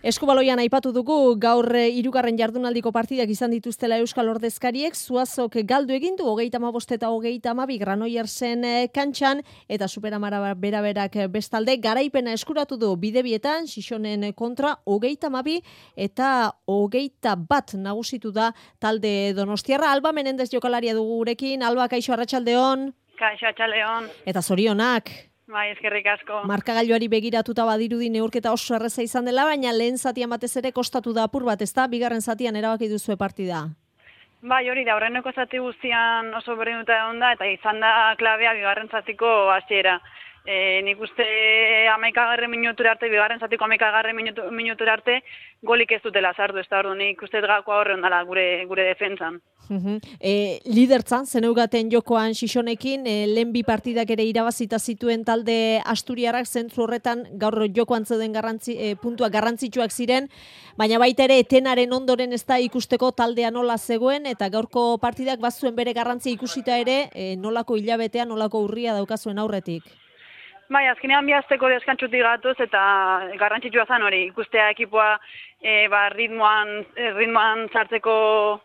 Eskubaloian aipatu dugu gaur hirugarren jardunaldiko partidak izan dituztela Euskal Ordezkariek, Zuazok galdu egin du 35 eta 32 Granoillersen kantxan eta Superamara beraberak bestalde garaipena eskuratu du bidebietan Xixonen kontra 32 eta 21 nagusitu da talde Donostiarra. Alba Menendez jokalaria dugu gurekin. Alba, kaixo, arratsaldeon. Kaixo, arratsaldeon. Eta zorionak. Bai, eskerrik asko. Markagailuari begiratuta badirudi neurketa oso erreza izan dela, baina lehen zatian batez ere kostatu da apur bat, ezta? Bigarren zatian erabaki duzue partida. Bai, hori da, aurreneko zati guztian oso berdinuta egon da, eta izan da klabea bigarren zatiko hasiera. Nik uste 11. minutura arte, bigarren zatiko 11. minutura arte, golik ez dutela sartu, ez da ordu, nik uste gakoa horre ondala gure defentsan. Lidertzan, zeneugaten jokoan Xixonekin, lehen bi partidak ere irabazita zituen talde Asturiarrak, zentzu horretan gaur jokoan zeuden puntuak garrantzitsuak ziren, baina baita ere etenaren ondoren ez da ikusteko taldea nola zegoen, eta gaurko partidak bazuen bere garrantzia ikusita ere, nolako hilabetea, nolako urria daukazuen aurretik. Bai, azkenean bihazteko deskantzutik gatoz eta garrantzitsua zen hori, ikustea ekipoa ritmoan sartzeko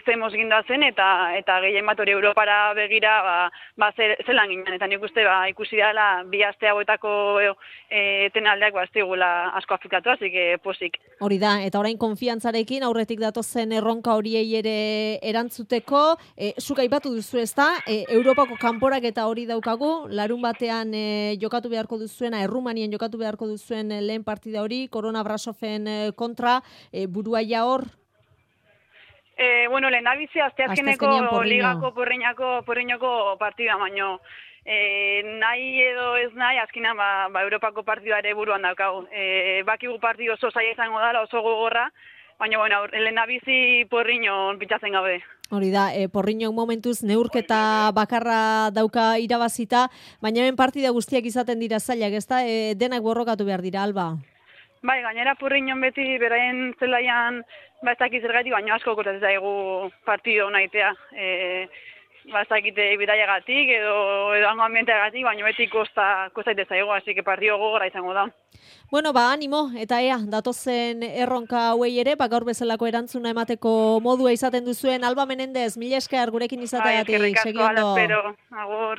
zemoz ginda zen eta gehien bat hori Europara begira zelan ginen. Eta nik uste ikusi dela bi aste hauetako etenaldeak ez digula asko afektatu, así que posik. Hori da, eta orain konfiantzarekin aurretik datozen erronka horiei ere erantzuteko, zuk aipatu duzu, ezta? Europako kanporak eta hori daukagu, larun batean jokatu beharko duzuena, Errumanien jokatu beharko duzuen lehen partida hori, Korona Brasofen kontra, burua ja hor? Lehen abizi, azteazkeneko ligako porriñako partida, baino nahi edo ez nahi, azkenean Europako partida ere buruan daukagu. Bakigu partidu oso zaila izango dela, oso gogorra, baina lehen abizi porriñon pitzatzen gabe. Hori da, porriñok momentuz neurketa bakarra dauka irabazita, baina hemen partida guztiak izaten dira zailak, ezta? Denak borrokatu behar dira, Alba? Bai, gainera porriñon beti beraien zelaian ez dakit zergatik, baina asko kotatzen zaigu partido nahitea. Ez dakite bidaiagatik edo hango ambienteagatik, baina beti kostaite zaigu, así que partido gogorra izango da. Bueno, animo, eta datozen erronka hauei ere, gaur bezalako erantzuna emateko modua izaten duzuen. Alba Menendez, mila esker gurekin izateagatik. Eskerrik asko, ala espero. Agur.